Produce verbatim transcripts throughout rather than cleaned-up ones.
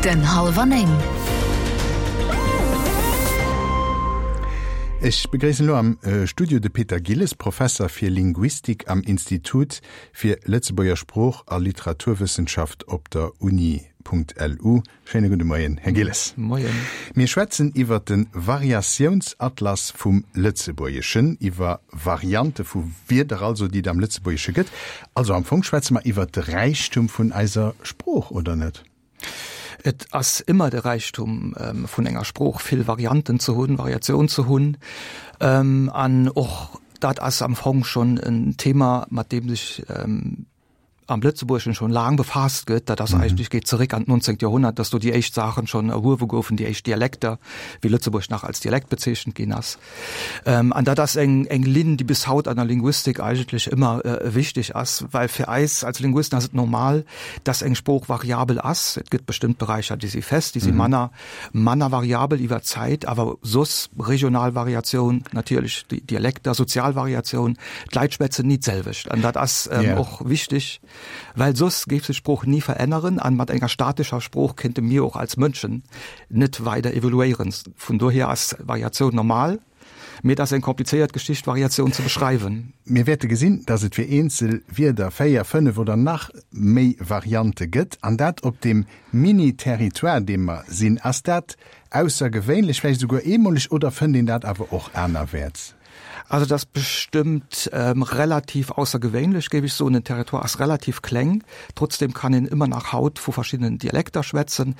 Den Hallwer Néng. Ech begréissen elo am Studio de Peter Gilles, Professer fir Linguistik am Institut fir Lëtzebuerger Sprooch a Literaturwëssenschaft op der Uni.lu. Schéine gudde Moien, Här Gilles. Moien. Mir schwätzen iwwer de Variatiounsatlas vum Lëtzebuergeschen, iwwer Variante vu Wierder also, déi et am Lëtzebuergesche gëtt. Also am Fong schwätze mer iwwer de Räichtum vun eiser Sprooch, oder net? Et ass ëmmer de Räichtum vun enger Sprooch, vill Varianten ze hunn, Variatioun ze hunn. An och dat ass am Fong schonn en Thema, mat deem sech am Lëtzebuergeschen schonn laang befaasst gëtt. Dat ass eigentlech, geet zeréck an d'nonzéngt Joerhonnert, dass do déi éischt Saachen schonn erhuewe goufen, déi éischt Dialekter, wéi Lëtzebuerg nach als Dialekt bezeechent ginn ass. An dat ass eng, eng Linn, déi bis haut an der Linguistik eigentlech ëmmer wichteg ass, well fir eis als Linguisten ass et normal, dass eng Sprooch variabel ass. Et gëtt bestëmmt Beräicher, déi si fest, déi si manner, manner variabel iwwer d'Zäit, awer soss regional Variatioun, natierlech déi Dialekter, sozial Variatioun, d'Leit schwätzen ni d'selwecht an dat ass och wichteg, well soss géif sech d'Sprooch ni veränneren an mat enger statescher Sprooch kéinte mir och als Mënschen net weider evoluéieren. Vun dohier ass Variatioun normal, mee et ass eng komplizéiert Geschicht Variatioun ze beschreiwen. Mir wäerte gesinn, dass et fir eenzel Wierder véier, fënnef oder nach méi Variante gëtt, an dat op deem Mini-Territoire, deem mer sinn. Ass dat aussergewéinlech, vläicht esouguer eemoleg, oder fënnt een dat awer och anerwäerts? Also et ass bestëmmt relativ aussergewéinlech, géif ech soen. Den Territoire ass relativ kleng, trotzdem kann een ëmmer nach haut vu verschiddenen Dialekter schwätzen.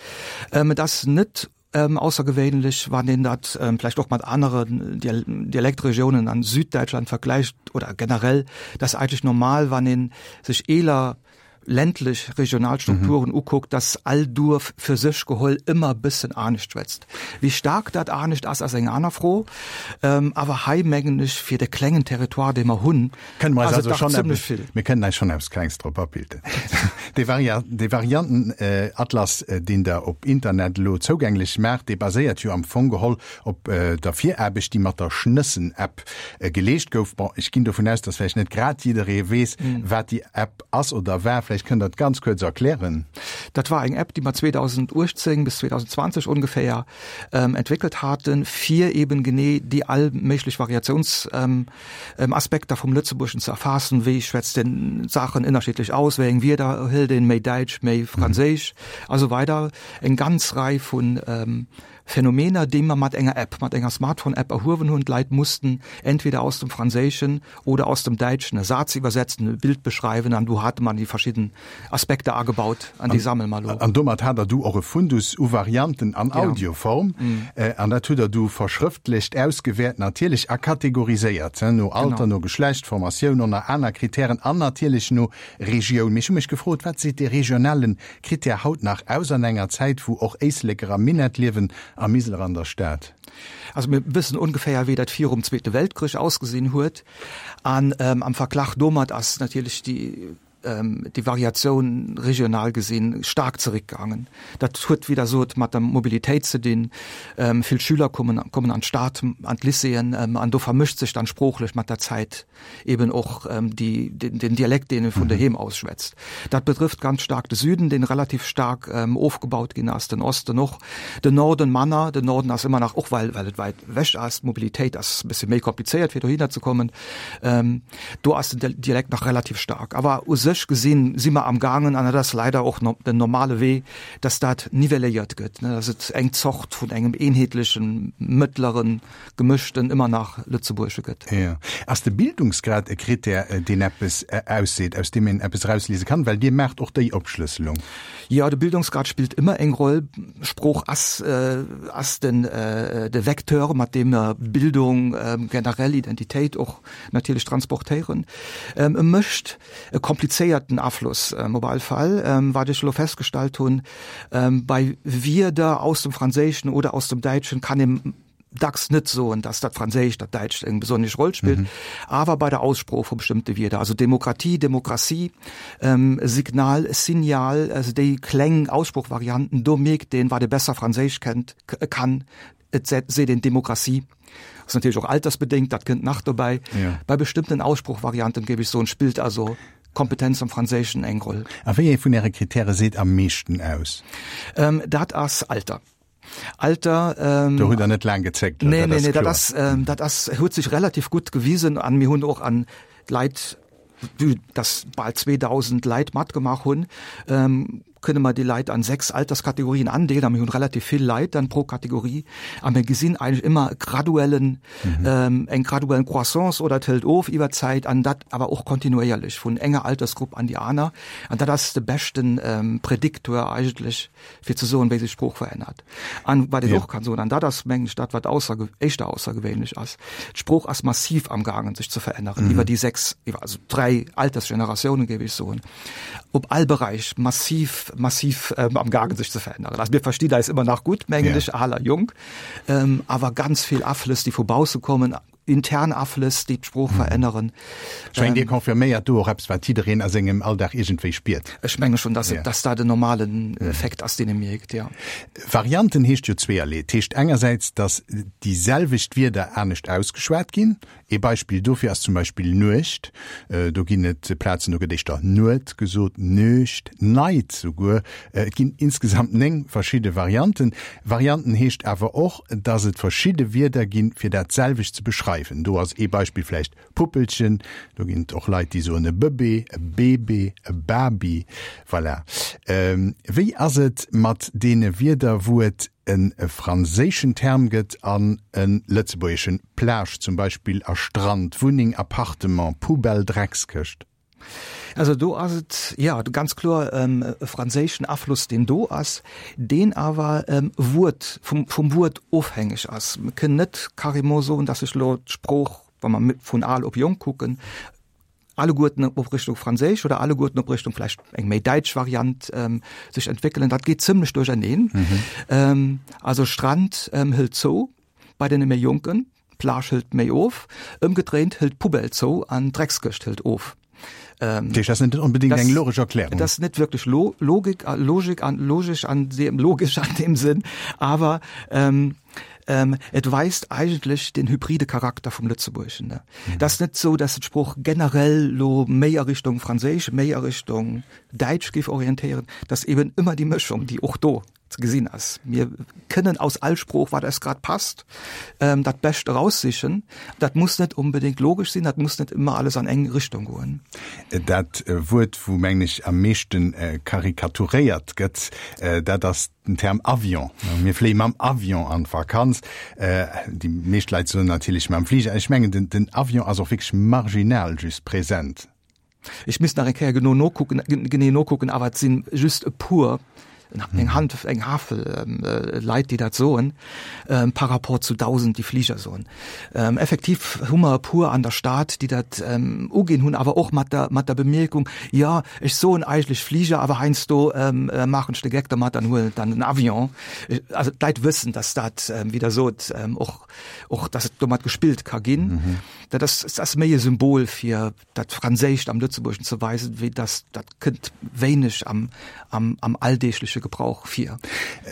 Et ass net aussergewéinlech, wann een dat vläicht och mat aneren Dialektregiounen an Süddäitschland vergläicht oder generell, dat ass eigentlech normal, wann ee sech eeler ländlech regional Strukturen ukuckt, dass all Duerf fir sech geholl ëmmer e bëssen anescht schwätzt. Wéi staark dat anescht ass, ass eng aner Fro. Awer hei mengen ech, fir de klengen Territoire, dee mer hunn, Kënne mer eis ass et also dach schonn zimlech eppes, vill. mir kënnen eis schonn eppes Klengs drop abilden. Dee Varia, dee Variantenatlas, deen Der op Internet elo zougänglech maacht, dee baséiert jo am Fong geholl op der Viraarbecht, déi mat der Schnëssen-App geleescht gouf. Bon, ech ginn dovun aus, dass vläicht net grad jidderee weess, wat déi App ass oder war. Vläicht kënnt Der et ganz kuerz erklären. Dat war eng App, déi mer zweedausendachtzéng bis zweedausendzwanzeg ongeféier entwéckelt haten, fir eben genee déi all méiglech Variatiounsaspekter vum Lëtzebuergeschen ze erfaassen, wéi schwätzt een Saachen ënnerschiddlech aus, wéi eng Wierder hëlt een, méi Däitsch, méi Franséisch a sou weider. Eng ganz Rei vun Phänomener, déi mer mat enger App, mat enger Smartphone-App erhuewen hunn. D'Leit mussten entweder aus dem Franséischen oder aus dem Däitschen e Saz iwwersetzen, e Bild beschreiwen an du hate mer déi verschidden Aspekter agebaut an déi sammele mer elo. An domat hat Der du och e Fundus u Varianten an Audioform. An dat hutt Der du verschrëftlecht, ausgewäert natierlech a kategoriséiert, no Alter, no Geschlecht, Formatioun, ënner aner Kritären an natierlech no Regioun. Mee ech hu mech gefrot, Wat seet dee regionale Kritär haut nach aus an enger Zäit, wou och Éisleker am Minett liewen a Miseler an der Stad? Also mir wëssen ongeféier, wéi dat virum Zweete Weltkrich ausgesinn huet. An am Verglach domat ass natierlech déi déi Variatioun regional gesinn staark zeréckgaangen. Dat huet, wéi Der sot, mat der Mobilitéit ze dinn. Vill Schüler kommen kommen an d'Stad, an d'Lycéeën, an do vermëscht sech dann sproochlech mat der Zäit eben och déi, den Dialekt, deen e vun doheem aus schwätzt. Dat betrëfft ganz staark de Süden, deen relativ staark ofgebaut ginn ass, den Osten och, den Norden manner. Den Norden ass ëmmer nach, och well well et wäit ewech ass, d'Mobilitéit ass e bësse méi komplizéiert fir dohinner ze kommen, do ass den Dialekt nach relativ staark. Awer u sech gesinn si mer am gaangen, an dat ass leider och den normale Wee, dass dat nivelléiert gëtt, dass et eng Zort vun engem eenheetlechen, mëttleren, gemëschten, ëmmer nach Lëtzebuergesche gëtt. Jo. Ass de Bildungsgrad e Krittär, deen eppes ausseet, aus deem een eppes erausliese kann? Well Dir maacht och déi Opschlësselung. Jo, de Bildungsgrad spillt ëmmer eng Roll. Sprooch ass, ass den, de Vecteur, mat deem mer Bildung, generell Identitéit och natierlech transportéieren. E mécht e komplizéierten Afloss op all Fall. Wat ech elo festgestallt hunn, bei Wierder aus dem Franséischen oder aus dem Däitschen kann ee dacks net soen, dass dat Franséischt, dat Däitscht eng besonnesch Roll spillt, awer bei der Aussprooch vu bestëmmte Wierder, also Demokratie, Demokratie, Signal, Signal, also déi kleng Aussproochvarianten, do mierkt een, wat ee besser Franséisch kennt, kann, et seet een Demokratie. Ass natierlech och altersbedéngt, dat kënnt nach dobäi. Bei bestëmmten Aussproochvarianten, géif ech soen, spillt also Kompetenz am Franséischen eng Roll. A wéi ee vun Äre Kritäre seet am meeschten aus? Ähm, dat ass Alter. Alter ähm, Do hutt Der net laang gezéckt, oder? Nee, nee, nee, dat ass, ähm, dat ass, huet sech relativ gutt gewisen an mir hunn och an d'Leit, vue dass bal zweedausend Leit matgemaach hunn, ähm, kënne mer déi Leit an sechs Alterskategorien andeelen a mir hunn relativ vill Leit dann pro Kategorie a mir gesinn eigentlech ëmmer e graduellen, mhm. eng graduellen Croissance oder et hëlt of iwwer d'Zäit an dat awer och kontinuéierlech vun enger Altersgrupp an déi aner an dat ass de beschten ähm, Prediktor eigentlech fir ze soen, wéi sech d'Sprooch verännert. An wat een och kann soen, an dat ass mengen ech dat wat ausser, éischter aussergewéinlech ass, d'Sprooch ass massiv am gaangen sech ze veränneren mhm. iwwer déi sechs, iwwer also dräi Altersgeneratiounen géif ech soen, op all Beräich massiv massiv ähm, am gaangen sech ze veränneren. Also mir verstinn eis ëmmer nach gutt, mengen ech, al a jonk, ähm, awer ganz vill Aflëss, déi vu bausse kommen, intern Aflëss, déi d'Sprooch mhm. veränneren. Ech mengen, Dir confirméiert do och eppes, wat jiddereen a sengem Alldag iergendwéi spiert. Ech menge schon, dass, ja. dass dat den normalen mhm. Effekt ass, deen ee mierkt, ja. Varianten heescht jo zweeërlee. Et heescht engersäits, dass déi selwecht Wierder anescht ausgeschwat ginn. Ee Beispill dofir ass zum Beispill Nuecht. Do ginn et Plazen, do gëtt éischter Nuet gesot, Nuecht, Neit souguer. Et ginn insgesamt néng verschidde Varianten. Varianten heescht awer och, dass et verschidde Wierder ginn, fir dat selwecht ze beschreiwen. Do ass ee Beispill vläicht Puppelchen. Do ginn et och Leit, déi soen e Bëbee, e Bébé, e Babi. Voilà. Wéi ass et mat deene Wierder, wou et e franséischen Term gëtt an e lëtzebuergeschen, Plage zum Beispill a Strand, Wunneng, Appartement, Poubelle, Dreckskëscht? Also do ass et, jo, ganz kloer e franséischen Afloss, deen do ass, deen awer Wuert, vum, vum Wuert ofhängeg ass. Mir kënnen net carrément soen, dass sech elo d'Sprooch, wa mer vun al op jonk kucken, alleguerten op Richtung Franséisch oder alleguerten op Richtung vläicht eng méi däitsch Variant ähm, sech entwéckelen. Dat geet zimlech duercherneen. Mhm. Ähm, also Strand ähm, hëlt zou bei den méi Jonken, Plage hëlt méi of, ëmgedréint hëlt Poubelle zou an Dreckskëscht hëlt of. Ähm, dat ass net onbedéngt eng logesch Erklärung. Dat ass net wierklech lo Logik, Logik an, logesch an dem, logesch an dem Sënn, awer ähm, ähm, et weist eigentlech den hybride Charakter vum Lëtzebuergeschen. Ne? Mhm. Dat ass net sou, dass d'Sprooch generell lo méi a Richtung Franséisch, méi a Richtung Däitsch géif orientéieren, dat ass eben ëmmer déi Mëschung, déi och do ze gesinn ass. Mir kënnen aus all Sprooch, wat eis grad passt, ähm, dat Bescht eraussichen. Dat muss net unbedéngt logesch sinn, dat muss net ëmmer alles an eng Richtung goen. Dat Wuert, wou, mengen ech, am meeschten karikaturéiert gëtt, dat ass den Term Avion. Mir fléie mam Avion an d'Vakanz. Déi meescht Leit soen natierlech mam Fliger. Ech mengen, den Avion ass och wierklech marginal just present. Ech misst nach eng Kéier genau nokucken, genee nokucken, awer et si just e puer, eng Hand, eng Hafel Leit, déi dat soen, par rapport zu dausend, déi Fliger soen. Effektiv hu mer e puer an der Stad, déi dat uginn hunn, awer och mat der, mat der Bemierkung, Jo, ech soen eigentlech Fliger, awer heiansdo maachen ech de Geck dermat an huelen dann den Avion. Also d'Leit wëssen, dass dat, wéi Der sot, och, och dass et domat gespillt ka ginn. Dat ass, et ass méi e Symbol fir dat Franséischt am Lëtzebuergeschen ze weisen, wéi dass dat kënnt wéineg am, am, am alldeegleche Gebrauch vir.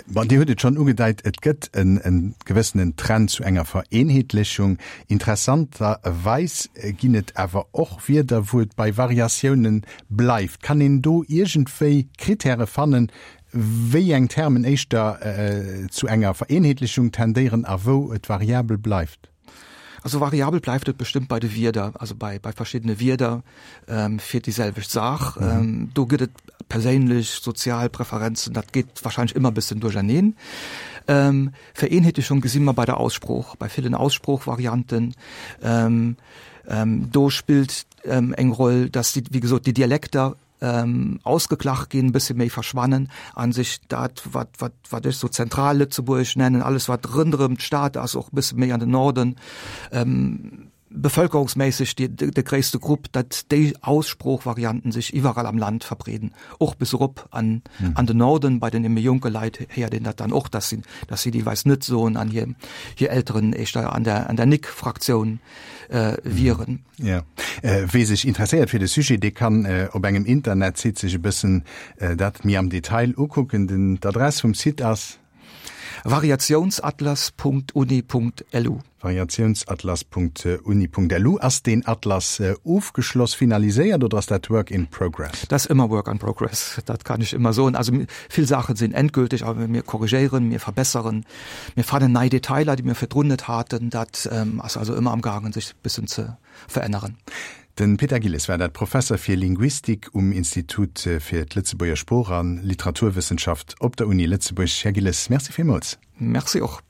Bon, Dir hutt et schonn ugedeit, et gëtt en, e gewëssenen Trend zu enger Vereenheetlechung. Interessanterweis ginn et awer och Wierder, wou et bei Variatiounen bleift. Kann een do iergendwéi Kritäre fannen, wéi eng Termen éischter zu enger Vereenheetlechung tendéieren a wou et variabel bleift? Also variabel bleift et bestëmmt bei de Wierder, also bei, bei verschiddene Wierder ähm, fir déi selwecht Saach. Mhm. Ähm, do gëtt et perséinlech, sozial Preferenzen, dat geet wahrscheinlech ëmmer e bëssen duercherneen. Ähm, Vereenheetlechung gesi mer bei der Aussprooch, bei villen Aussproochvarianten. Ähm, ähm, do spillt ähm, eng Roll, dass déi, wéi gesot, déi Dialekter ähm, ausgeglach ginn, bësse méi verschwannen an sech dat, wat, wat, wat ech so Zentrallëtzebuerg nennen, alles wat rënderëm d'Stad ass, och bësse méi an den Norden, ähm, bevölkerungsméisseg de, de, de gréisste Grupp, dat déi Aussproochvarianten sech iwwerall am Land verbreeden, och bis erop an, mhm. an den Norden, bei den méi jonke Leit héiert een dat dann och, dass si, dass si déi weis net soen an hir, hir Elteren éischter an der, an der Nick-Fraktioun äh, wieren. Ja. Äh, wee sech interesséiert fir de Sujet, dee kann äh, op engem Internetsite sech e bëssen äh, dat méi am Detail ukucken. Den, D'Adress vum Site ass? Variationsatlas.uni.lu. Variationsatlas.uni.lu Ass den Atlas äh, ofgeschloss finaliséiert oder ass dat Work in Progress? Dat ass ëmmer Work in Progress. Dat kann ech ëmmer soen. Also vill Saache sinn endgülteg, awer mir korrigéieren, mir verbesseren, mir fannen nei Detailer, déi mir virdrun net haten. Dat ähm, ass also ëmmer am gaangen, sech bëssen ze veränneren. Den Peter Gilles war dat Professer fir Linguistik um Institut äh, fir d'Lëtzebuerger Sprooch an Literaturwëssenschaft op der Uni Lëtzebuerg. Här Gilles, Merci villmools. Merci och.